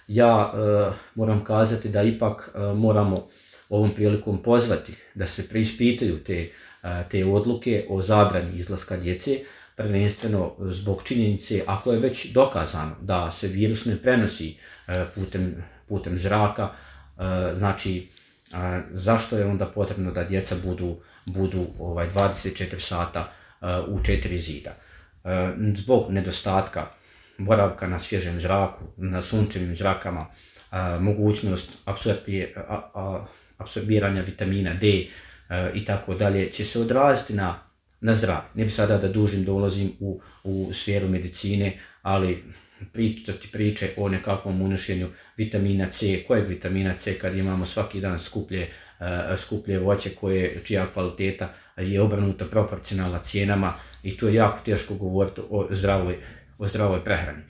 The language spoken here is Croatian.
Ja moram kazati da ipak moramo ovom prilikom pozvati da se preispitaju te odluke o zabrani izlaska djece, prvenstveno zbog činjenice ako je već dokazano da se virus ne prenosi putem zraka, znači zašto je onda potrebno da djeca budu 24 sata u 4 zida. Zbog nedostatka boravka na svježem zraku, na sunčevim zrakama, mogućnost apsorbiranja vitamina D i tako dalje će se odraziti na zdravlje. Ne bi sada da dužim, da ulazim u sferu medicine, ali pričati priče o nekakvom unošenju vitamina C, kojeg vitamina C kad imamo svaki dan skuplje voće čija kvaliteta je obrnuta proporcionalna cijenama i tu je jako teško govoriti o zdravoj prehrani.